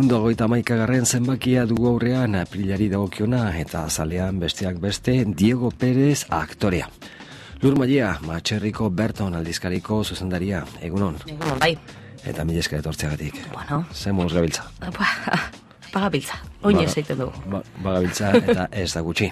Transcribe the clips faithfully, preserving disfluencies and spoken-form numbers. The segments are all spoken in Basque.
Ehun hogeita hamaikagarren zenbakia dugu aurrean aprilari dagokiona eta azalean besteak beste Diego Pérez aktorea. Lur Maia, Matxerriko Berton aldizkariko zuzendaria. Egunon. Egunon, bai. Eta mila esker etortzeagatik. Bueno. Zer moduz gabiltza? Bagabiltza. Oin ez egiten dugu. Ba, bagabiltza eta ez da gutxi.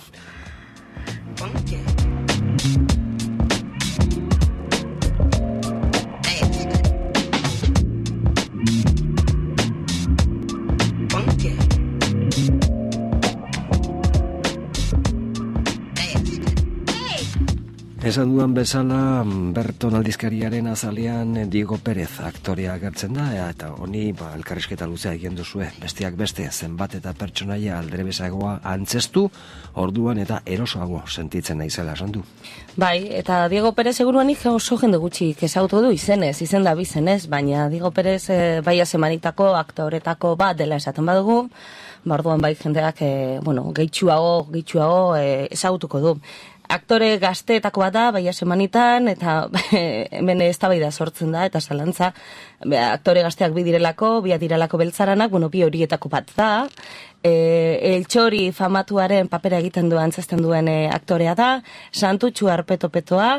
Esan duan bezala, Berton aldizkariaren azalean Diego Pérez aktorea agertzen da, eta honi ba, elkarrizketa luzea egin duzue, besteak beste, zenbat eta pertsonaia aldrebezagoa antzestu, orduan eta erosoago sentitzen naizela esan du. Bai, eta Diego Pérez seguruanik oso jende gutxi kezautu du izenez, izen da bizenez, baina Diego Pérez e, bai azemanitako aktoretako bat dela esaten badugu, orduan bai jendeak, e, bueno, gehitxuago, gehitxuago e, ezagutuko du. Aktore gazteetako bat da, baia semanitan, eta hemen eztabaida sortzen da, eta zalantza, aktore gazteak bi direlako, bi direlako beltzaranak, bueno, bi horietako bat da, e, eltxori famatuaren papera egiten duen, antzazten duen e, aktorea da, Santutxu Arpetopetoa,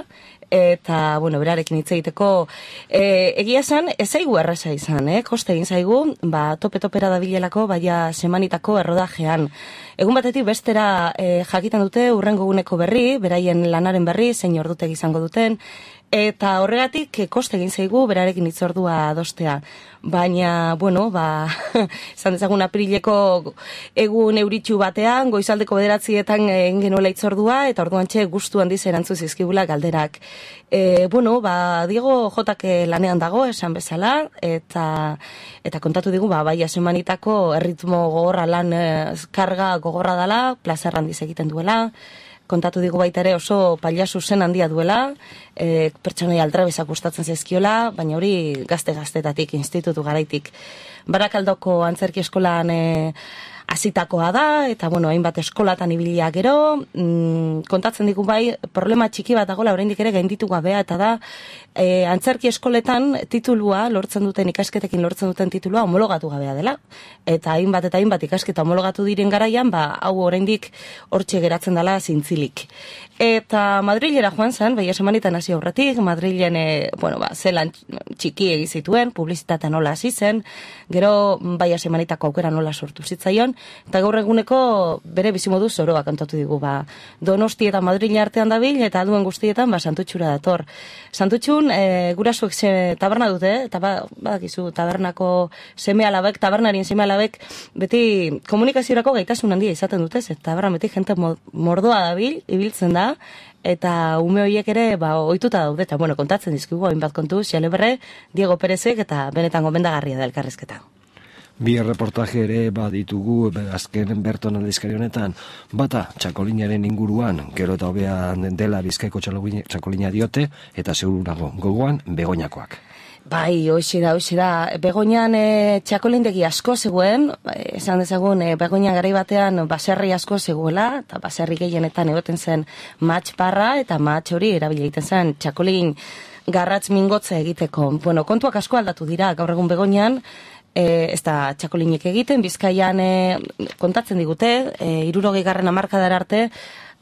eta, bueno, berarekin hitz egiteko, e, egia esan, ez zaigu erraza izan, eh? Koste egin zaigu, ba, tope-topera dabilelako, baia semanitako errodajean. Egun batetik bestera e, jakiten dute urrengo eguneko berri, beraien lanaren berri, zein ordutegi izango duten, eta horregatik koste egin zaigu berarekin hitzordua adostea. Baina, bueno, ba, esan dezagun aprileko egun euritxu batean, goizaldeko bederatzietan egin genuela hitzordua, eta orduan txe gustu handiz erantzu zizkibula galderak. E, bueno, ba, Diego Jotak lanean dago, esan bezala, eta eta kontatu digu, ba, bai asemanitako erritmo gogorra lan, karga gogorra dela, plazer handiz egiten duela, kontatu digu baita ere oso pailazu zen handia duela, e, pertsonai aldrabezak gustatzen zaizkiola, baina hori gazte-gaztetatik, institutu garaitik. Barakaldoko antzerki eskolan e, azitakoa da, eta bueno, hainbat eskolatan ibilia gero, mm, kontatzen digu bai, problema txiki bat dagoela oraindik ere gainditu gabea, eta da, e, antzerki eskoletan titulua, lortzen duten ikasketekin lortzen duten titulua homologatu gabea dela, eta hainbat eta hainbat ikasketa homologatu diren garaian, ba, hau oraindik hortxe geratzen dela zintzilik. Eta Madrilera joan zen, baina semanitan hasi aurretik, Madrilen, e, bueno, ba, zelan txiki egizituen, publizitatea nola hasi zen, gero baia semanitako aukera nola sortu zitzaion, eta gaur eguneko bere bizimodu zoroa kantatu digu, ba, Donosti eta Madrile artean dabil, eta alduen guztietan, ba, Santutxura dator. Santutxun, e, gurasuek se, taberna dute, eta ba, badakizu, tabernako seme alabek, tabernarien seme alabek, beti komunikaziorako gaitasun handia izaten dute, eta taberna beti jente mordoa dabil, ibiltzen da, eta ume horiek ere, ba, ohituta daude, eta, bueno, kontatzen dizkigu, hainbat kontu, xeleberre, Diego Pérezek, eta benetan gomendagarria da elkarrizketa. Bi erreportaje ere baditugu azken Berton aldizkari honetan, bata txakolinaren inguruan, gero eta hobea dela Bizkaiko txakolina diote, eta segurago gogoan Begoñakoak. Bai, hoxe da, hoxe da. Begoñan e, txakolindegi asko zegoen, esan dezagun, e, Begoña garai batean baserri asko zegoela, eta baserri gehienetan egoten zen matx parra, eta matx hori erabili egiten zen txakolin garratz mingotza egiteko. Bueno, kontuak asko aldatu dira, gaur egun Begoñan, E, ez da txakolinek egiten, Bizkaian e, kontatzen digute, e, irurogei garren hamarkadara arte,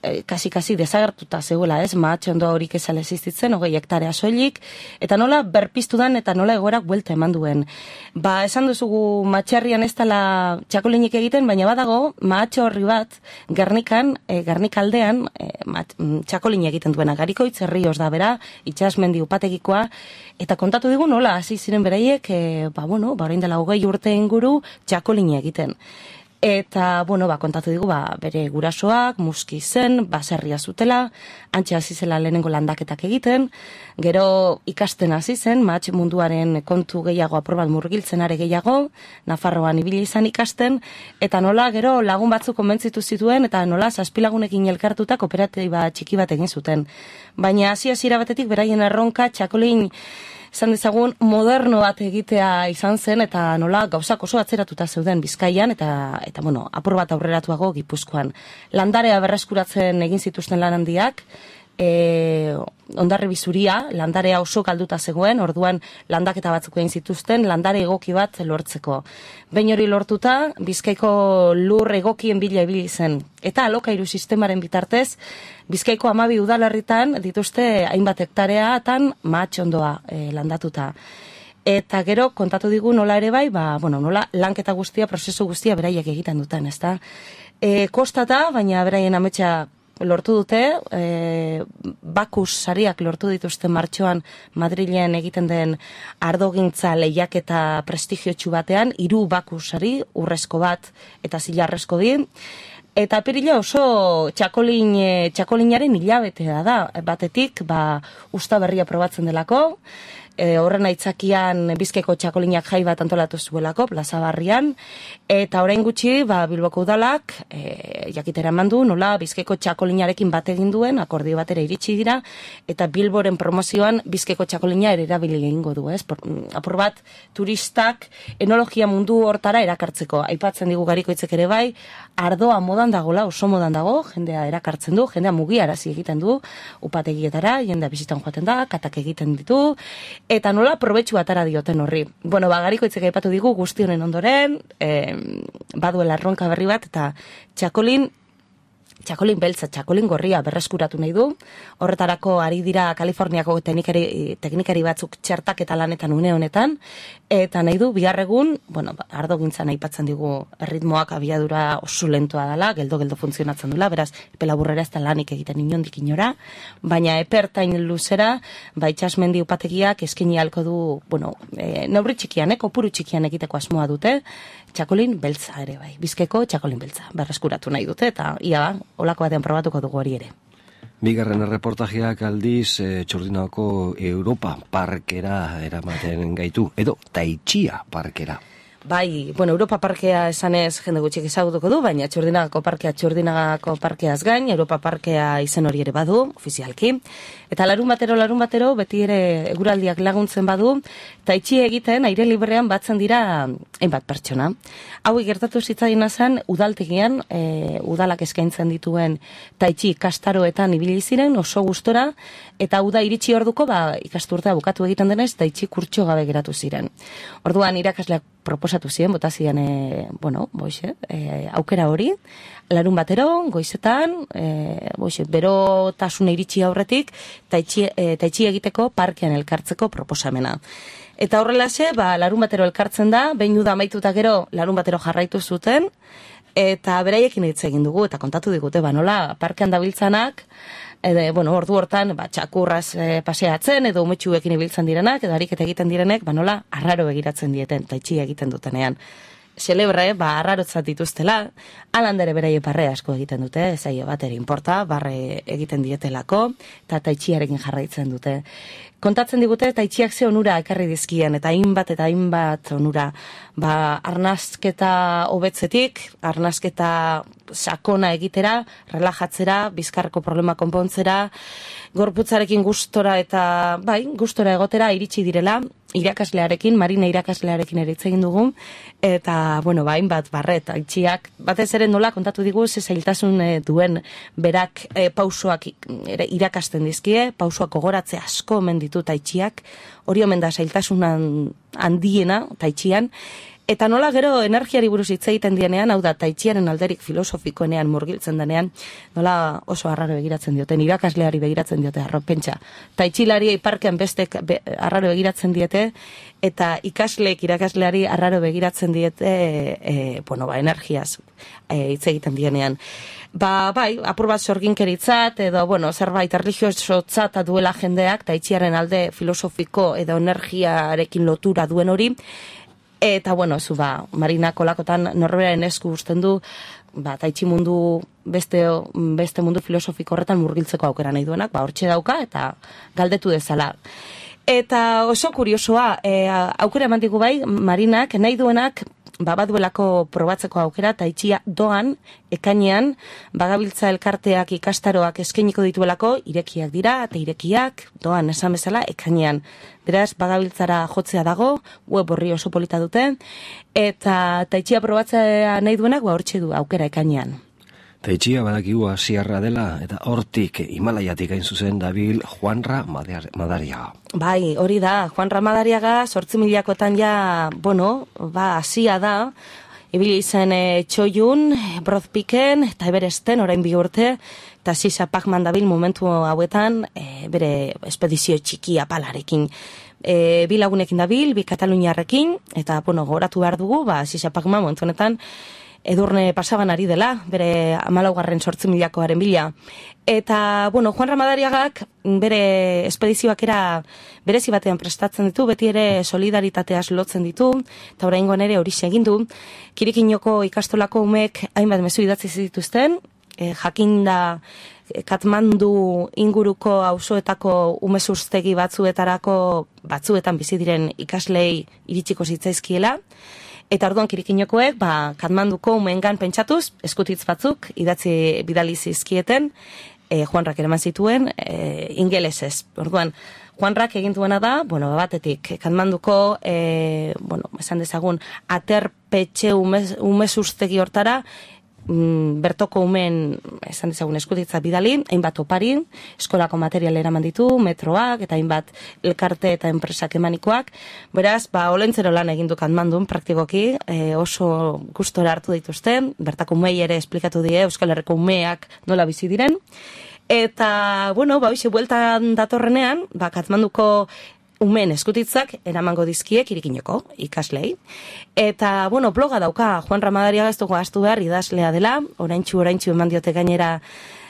e, kasi-kasi desagertuta zegoela, ez, matxe ondo horik ezale existitzen, hogei hektarea soilik, eta nola berpiztu dan, eta nola egoerak buelta eman duen. Ba, esan duzugu matxerrian ez dela txakolinek egiten, baina badago, matxe horri bat, Gernikan, e, Gernikaldean, e, txakolinek egiten duena, Garikoitz herrioz da bera, itxasmendi upategikoa, eta kontatu digu nola, hasi ziren beraiek, e, ba, bueno, ba, orain dela hogei urte inguru txakolina egiten. Eta, bueno, ba, kontatu digu, ba, bere gurasoak, muski zen, baserria zutela, antxe hasi zela lehenengo landaketak egiten, gero ikasten hasi zen, matx munduaren kontu gehiago aprobat murgiltzen are gehiago, Nafarroan ibili izan ikasten, eta nola gero lagun batzuk konbentzitu zituen, eta nola zazpilagunekin elkartuta kooperatiba txiki bat egin zuten. Baina hasi-hasiera batetik beraien erronka txakolin izan dezagun moderno bat egitea izan zen, eta nola gauzak oso atzeratuta zeuden Bizkaian, eta, eta bueno, apur bat aurreratuago Gipuzkoan. Landarea berreskuratzen egin zituzten lan handiak, e, ondarri bizuria, landarea oso galduta zegoen, orduan landaketa batzuk egin zituzten, landare egoki bat lortzeko. Behin hori lortuta, Bizkaiko lur egokien bila ibili zen. Eta alokairu sistemaren bitartez, Bizkaiko hamabi udalerritan dituzte hainbat hektareatan mahatxondoa e, landatuta. Eta gero kontatu digu nola ere bai, ba, bueno, nola lanketa guztia, prozesu guztia beraiek egiten duten, ezta? E, kostata, baina beraien ametsa lortu dute, e, Bakus sariak lortu dituzten martxoan Madrilen egiten den ardogintza lehiaketa prestigiotsu batean, hiru Bakus sari, urrezko bat eta zilarrezko di, eta apirila oso txakolin, txakolinaren hilabetea da, batetik, ba, usta berria probatzen delako, E, horren aitzakian Bizkaiko txakolinak jai bat antolatu zuelako, Plaza Barrian, eta orain gutxi, ba, Bilboko udalak, e, jakitera eman du, nola Bizkaiko txakolinarekin bat egin duen, akordio batera iritsi dira, eta Bilboren promozioan Bizkaiko txakolina ere erabili egingo du, ez? Por, apur bat, turistak enologia mundu hortara erakartzeko. Aipatzen digu Garikoitzek ere bai, ardoa modan dagola, oso modan dago, jendea erakartzen du, jendea mugiarazi egiten du, upategietara, jendea bizitan joaten da, katak egiten ditu, eta nola probetxu atara dioten horri. Bueno, ba, Garikoitzek aipatu digu guzti honen ondoren, eh, baduela erronka berri bat, eta txakolin, txakolin beltza, txakolin gorria berreskuratu nahi du. Horretarako ari dira Kaliforniako teknikari, teknikari batzuk txertak eta lanetan une honetan, eta nahi du, bihar egun, bueno, ardogintzan aipatzen digu erritmoak abiadura oso lentoa dela, geldo-geldo funtzionatzen dula, beraz, epe laburrera ez da lanik egiten inondik inora, baina epertain luzera, ba, itxasmendi upategiak eskaini halko du, bueno, e, neurri txikian, eh, kopuru txikian egiteko asmoa dute, txakolin beltza ere bai, Bizkaiko txakolin beltza, berreskuratu nahi dute, eta ia, olako batean probatuko dugu hori ere. Bigarren erreportajeak aldiz e, Txurdinako Europa Parkera eramaten gaitu, edo Taitxia Parkera. Bai, bueno, Europa Parkea esanez jende gutxik ezagutuko du, baina Txurdinagako Parkea Txurdinagako Parkeaz gain, Europa Parkea izen hori ere badu, ofizialki. Eta larun batero, larun batero, beti ere eguraldiak laguntzen badu, taitxi egiten aire librean batzen dira hainbat pertsona. Hau gertatu zitzaien zen udaltegian, e, udalak eskaintzen dituen taitxi ikastaroetan ibili ziren, oso gustora, eta uda iritsi orduko, ba, ikasturtea bukatu egiten denez, taitxi kurtso gabe geratu ziren. Orduan irakasleak proposatu ziren, bota ziren, e, bueno, boixe, e, aukera hori, larun batero, goizetan, e, boixe, berotasuna iritsi aurretik, taitxi, e, taitxi egiteko parkean elkartzeko proposamena. Eta horrelaxe, ba, larun batero elkartzen da, behin uda amaituta gero, larun batero jarraitu zuten, eta beraiekin hitz egin dugu, eta kontatu digute, ba, nola, parkean dabiltzanak, Ede, bueno, ordu hortan, ba, txakurraz e, paseatzen, edo umetxuekin ibiltzen direnak, edo ariketa egiten direnek, ba, nola, arraro begiratzen dieten, taitxi egiten dutenean. Celebre, ba, arrarotzat dituztela, alandere beraie barre asko egiten dute, zaio bat ere inporta, barre egiten dietelako, eta taitxiarekin jarraitzen dute. Kontatzen digute, taitxiak ze onura ekarri dizkien, eta hainbat eta hainbat onura, ba, arnazketa hobetzetik, arnazketa sakona egitera, relajatzera, bizkarreko problema konpontzera, gorputzarekin gustora eta, bai, gustora egotera iritsi direla, irakaslearekin, Marina irakaslearekin ere hitz egin dugu, eta, bueno, ba, hainbat barret, aitxiak, batez ere nola kontatu digu, ze zailtasun e, duen berak e, pausoak ere, irakasten dizkie, pausoak gogoratze asko omen ditu taitxiak, hori omen da zailtasunan handiena taitxian, eta nola gero energiari buruz hitz egiten dienean, hau da, taitxiaren alderik filosofikoenean murgiltzen denean, nola oso arraro begiratzen dioten, irakasleari begiratzen diote, arropentsa. Taitxilari parkean bestek be, arraro begiratzen diete, eta ikasleek irakasleari arraro begiratzen diete, e, bueno, ba, energiaz e, hitz egiten dienean. Ba, bai, apur bat sorginkeritzat, edo, bueno, zerbait erlijiosotzat duela jendeak, taitxiaren alde filosofiko edo energiarekin lotura duen hori, eta, bueno, zu, ba, Marina kolakotan norberaren esku usten du, ba, taitxi mundu, beste, beste mundu filosofiko horretan murgiltzeko aukera nahi duenak, ba, hortxe dauka, eta galdetu dezala. Eta oso kuriosoa, e, aukera eman digu bai, Marinak, nahi duenak, ba, baduelako probatzeko aukera, taitxia doan, ekainean, bagabiltza elkarteak ikastaroak eskainiko dituelako, irekiak dira, eta irekiak, doan, esan bezala, ekainean. Beraz, bagabiltzara jotzea dago, web horri oso polita dute, eta taitxia probatzea nahi duenak, ba, hortxe du aukera ekainean. Teitxia badakigu asiarra dela, eta hortik Himalaiatik hain zuzen dabil Juanra Madariaga. Bai, hori da, Juanra Madariaga, sortzi milakotan ja, bueno, ba, asia da, ibili zen e, txoiun, brozpiken, eta Everesten, orain bi urte, eta Sisa Pacman dabil momentu hauetan, e, bere espedizio txiki apalarekin. E, bi lagunekin dabil, bi kataluniarrekin, eta, bueno, goratu behar dugu, ba, Sisa Pacman momentu honetan, edurne pasaban ari dela, bere amalaugarren sortzi milakoaren bila. Eta, bueno, Juan Ramadariagak bere espedizioak era berezi batean prestatzen ditu, beti ere solidaritateaz lotzen ditu, eta oraingoan ere hori egin du. Kirikinoko ikastolako umek hainbat mezu idatzi zituzten, e, jakinda Katmandu inguruko auzoetako umezurtegi batzuetarako batzuetan bizi diren ikaslei iritsiko zitzaizkiela. Eta orduan Kirikinokoek, ba, Katmanduko umeengan pentsatuz, eskutitz batzuk, idatzi bidali zizkieten, e, Juanrak eraman zituen, e, ingelesez. Orduan, Juanrak egin duena da, bueno, batetik, Katmanduko, e, bueno, esan dezagun, aterpetxe umez, umezurtegi hortara, mm, bertoko umen, esan dezagun, eskutitza bidali, hainbat opari, eskolako material eraman ditu, metroak, eta hainbat elkarte eta enpresak emanikoak. Beraz, ba, olentzero lan egin du Katmandun, praktikoki, e, oso gustora hartu dituzte, bertako umei ere esplikatu die, Euskal Herriko umeak nola bizi diren. Eta, bueno, ba, bizi bueltan datorrenean, ba, Katmanduko umen eskutitzak eramango dizkiek Kirikinoko ikaslei. Eta, bueno, bloga dauka, Juan Ramadariaga ez dugu astu behar idazlea dela, oraintxu oraintxu eman diote gainera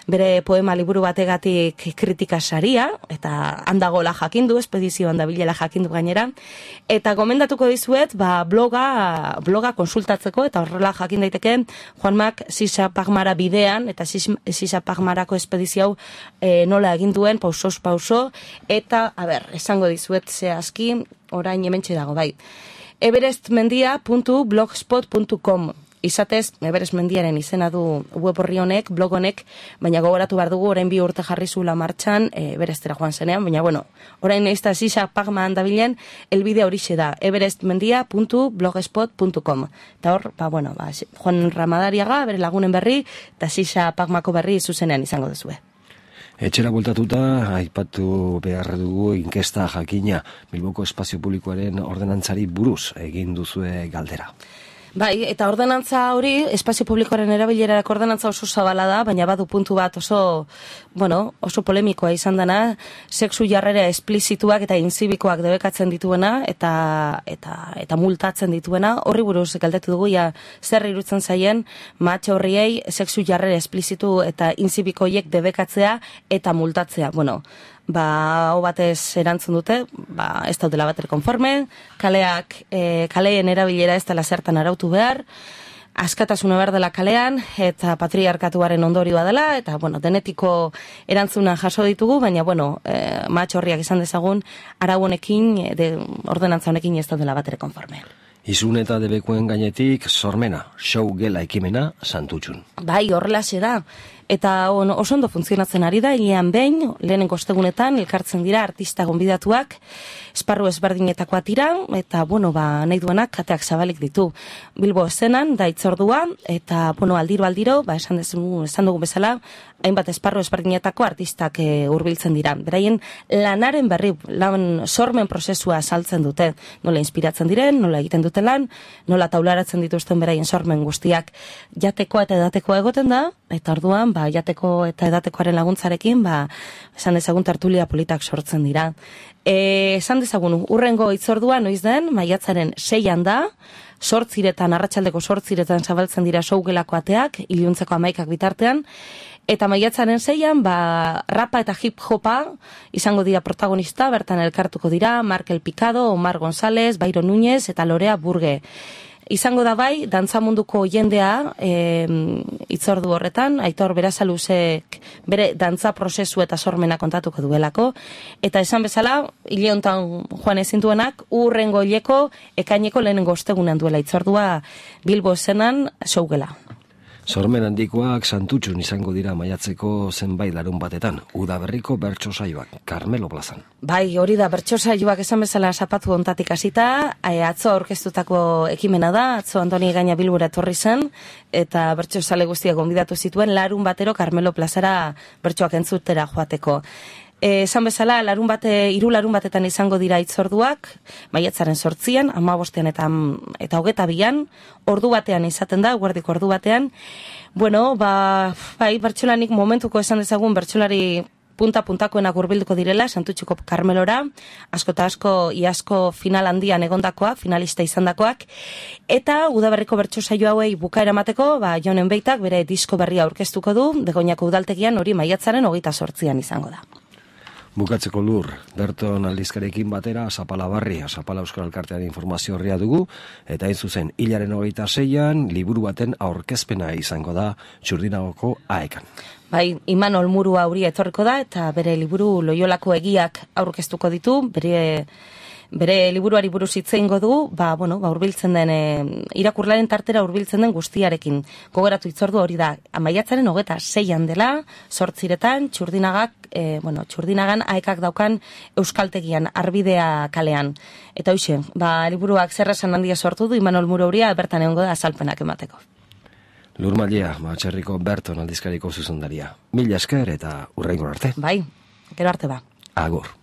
bere poema liburu bategatik kritika saria, eta handagola jakindu, espedizioan dabilela jakindu gainera, eta gomendatuko dizuet, ba, bloga, bloga konsultatzeko, eta horrela jakin daiteke, Juanmak Sisa Pacmara bidean, eta Sisa Pacmarako espedizio e, nola egin duen, pausos pauso, eta, a ber, esango dizuet zehazki, orain hementxe dago, bai. everestmendia puntu blogspot puntu com Izatez, Everest mendiaren izena du web horri honek, blog honek, baina gogoratu behar dugu, orain bi urte jarri zula martxan, e, Everestera joan zenean, baina, bueno, orain nahizta Sisa Pacman dabilen, elbide horixe da, everestmendia puntu blogspot puntu com. Eta hor, ba, bueno, ba, Juan Ramadariaga, bere lagunen berri, eta Sisa Pacmako berri zuzenean izango duzue. Etxera bultatuta, aipatu behar dugu inkesta jakina, Bilboko espazio publikoaren ordenantzari buruz egin duzue galdera. Bai, eta ordenantza hori, espazio publikoaren erabilerarako ordenantza oso zabala da, baina badu puntu bat oso, bueno, oso polemikoa izan dena, sexu jarrera esplizituak eta inzibikoak debekatzen dituena, eta eta eta multatzen dituena, horri buruz galdetu dugu, ja, zer irutzen zaien, matxo horriei sexu jarrera esplizitu eta inzibikoiek debekatzea eta multatzea, bueno, ba, hau batez erantzun dute, ba, ez daudela bater konforme, kaleak, e, kaleen erabilera ez dela zertan arautu behar, askatasuna behar dela kalean, eta patriarkatuaren ondorioa dela, eta, bueno, denetiko erantzuna jaso ditugu, baina, bueno, e, matxorriak izan dezagun, arau honekin, de, ordenantza honekin ez daudela batere konforme. Izun eta debekuen gainetik, sormena, show gela ekimena, santutxun. Bai, horrelaxe da. Eta on, oso ondo funtzionatzen ari da, hilean behin, lehenen kostegunetan, elkartzen dira artista gonbidatuak, esparru ezberdinetakoa tira, eta, bueno, ba, nahi duenak kateak zabalik ditu. Bilbo eszenan, da itzordua, eta, bueno, aldiro-aldiro, ba, esan, dezu, esan dugu bezala, hainbat esparru ezberdinetako artistak e, hurbiltzen dira. Beraien lanaren berri, lan sormen prozesua saltzen dute, nola inspiratzen diren, nola egiten dute lan, nola taularatzen dituzten beraien sormen guztiak. Jatekoa eta edatekoa egoten da, eta orduan, ba, jateko eta edatekoaren laguntzarekin, ba, esan dezagun tertulia politak sortzen dira. E, esan dezagun, urrengo itzordua noiz den, maiatzaren seian da, sortziretan, arratsaldeko sortziretan zabaltzen dira sougelako ateak, iluntzeko amaikak bitartean, eta maiatzaren seian, ba, rapa eta hip-hopa izango dira protagonista, bertan elkartuko dira, Markel Picado, Omar González, Bairo Núñez eta Lorea Burge. Izango da bai, dantzamunduko jendea e, itzordu horretan, Aitor Berazaluzek bere dantza prozesu eta sormena kontatuko duelako, eta esan bezala, hile hontan joan ezintuenak, urrengo hileko ekaineko lehenengo ostegunean duela itzordua Bilbo esenan shougela. Sormen handikoak Santutxun izango dira maiatzeko zenbait larun batetan, udaberriko bertso saioak, Karmelo plazan. Bai, hori da, bertso saioak esan bezala zapatu ontatik hasita, atzo aurkeztutako ekimena da, atzo Antoni Gaina Bilbora etorri zen, eta bertso sale guztiak gonbidatu zituen larun batero Karmelo plazara bertsoak entzutera joateko. Esan bezala, larun bate, hiru larun batetan izango dira hitzorduak, maiatzaren sortzian, hamabostean eta, eta hogeta bian, ordu batean izaten da, guardiko ordu batean. Bueno, ba, bai, bertsolanik momentuko esan dezagun bertsolari punta-puntakoenak hurbilduko direla, Santutxuko Karmelora, asko eta asko, iasko final handian egondakoa, finalista izandakoak, eta udaberriko bertso saio hauei bukaera emateko, ba, Jonen Beitak bere disko berria aurkeztuko du, Begoñako udaltegian hori maiatzaren hogeita sortzian izango da. Bukatzeko lur, Berton aldizkarekin batera, Zapala Barri, Zapala Euskal Elkartean informazio horria dugu, eta hain zuzen, hilaren hogeita zeian, liburu baten aurkezpena izango da Txurdinagoko aekan. Bai, Imanol Murua hauria etorriko da, eta bere liburu Loiolako egiak aurkeztuko ditu, bere... Bere liburuari buruz hitz egingo du, ba, bueno, ba, urbiltzen den, e, irakurlaren tartera urbiltzen den guztiarekin. Gogoratu hitzordu hori da, maiatzaren hogeta seian dela, sortziretan, Txurdinagak, e, bueno, Txurdinagan aekak daukan euskaltegian, Arbidea kalean. Eta hoxe, ba, liburuak zerrasan handia sortu du, Imanol Muro hauria, bertan egongo da azalpenak emateko. Lur Malia, Batxerriko Berton aldizkariko zuzendaria. Mila esker eta urrengo arte. Bai, gero arte ba. Agur.